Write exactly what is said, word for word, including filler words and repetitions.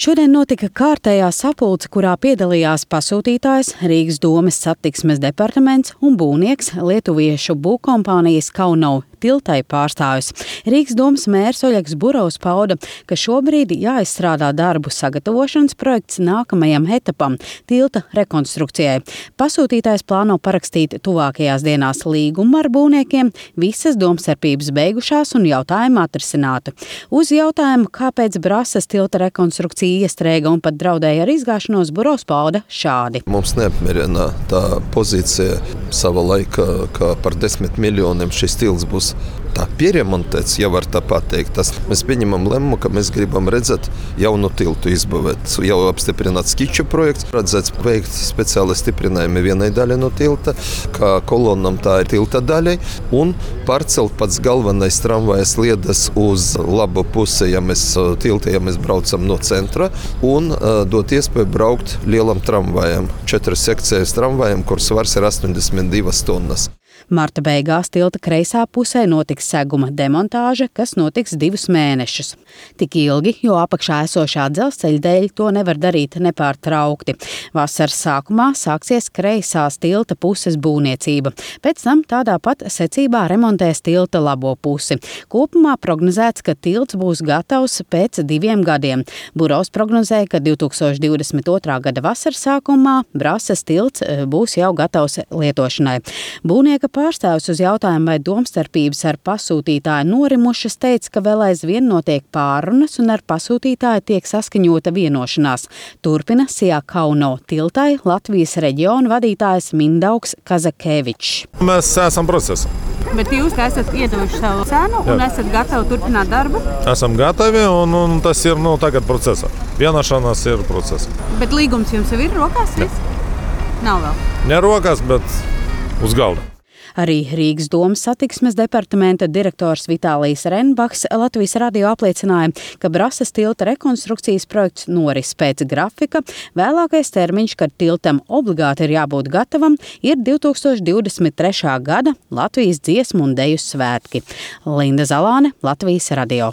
Šodien notika kārtējā sapulce, kurā piedalījās pasūtītājs, Rīgas domes satiksmes departaments un būvnieks lietuviešu būvkompānijas Kauno tiltai pārstāvis. Rīgas domes mērs Oļegs Burovs pauda, ka šobrīd jāizstrādā darbu sagatavošanas projekts nākamajam etapam – tilta rekonstrukcijai. Pasūtītājs plāno parakstīt tuvākajās dienās līgumu ar būvniekiem, visas domstarpības beigušās un jautājumu atrisinātu. Uz jautājumu, kāpēc Brasas tilta rekonstrukcija iestrēga un pat draudēja ar izgāšanos, Burovs pauda šādi. Mums neapmierina tā pozīcija sava laika, ka par desmit miljoniem šis tilts būs tā pieremontēts, ja var tā pateikt. Tas mēs pieņemam lēmumu, ka mēs gribam redzēt jaunu tiltu izbūvēt. Jau apstiprināts skiču projekts, redzēts veikt speciāli stiprinājumi vienai daļai no tilta, kā kolonam tā ir tilta daļai, un pārcelt pats galvenais tramvajas sliedes uz labu pusi, ja mēs tilta, ja mēs braucam no centra, un uh, dot iespēju braukt lielam tramvajam, četras sekcijas tramvajam, kur svars ir astoņdesmit divas tonnas. Marta beigās tilta kreisā pusē notiks seguma demontāža, kas notiks divus mēnešus. Tik ilgi, jo apakšā esošā dzelzceļa dēļ to nevar darīt nepārtraukti. Vasaras sākumā sāksies kreisās tilta puses būvniecība. Pēc tam tādā pat secībā remontēs tilta labo pusi. Kopumā prognozēts, ka tilts būs gatavs pēc diviem gadiem. Burovs prognozēja, ka divi tūkstoši divdesmit otrā gada vasaras sākumā Brasas tilts būs jau gatavs lietošanai. Būvnieka pārstāvis uz jautājumu, vai domstarpības ar pasūtītāju norimušas, teica, ka vēl aizvien notiek pārunas un ar pasūtītāju tiek saskaņota vienošanās. Turpina Sijā Kauno tiltai Latvijas reģiona vadītājs Mindaugs Kazakevičs. Mēs esam procesā. Bet jūs esat iedevuši savu cenu un Jā. esat gatavi turpināt darbu? Esam gatavi un, un tas ir nu, tagad procesā. Vienošanās ir procesā. Bet līgums jums jau ir rokās? Jā. Nav vēl? Ne rokās, bet uz galda. Arī Rīgas domes satiksmes departamenta direktors Vitālijs Renbachs Latvijas radio apliecināja, ka Brasas tilta rekonstrukcijas projekts noris pēc grafika. Vēlākais termiņš, kad tiltam obligāti ir jābūt gatavam, ir divi tūkstoši divdesmit trešā gada Latvijas dziesmu un deju svētki. Linda Zalāne, Latvijas radio.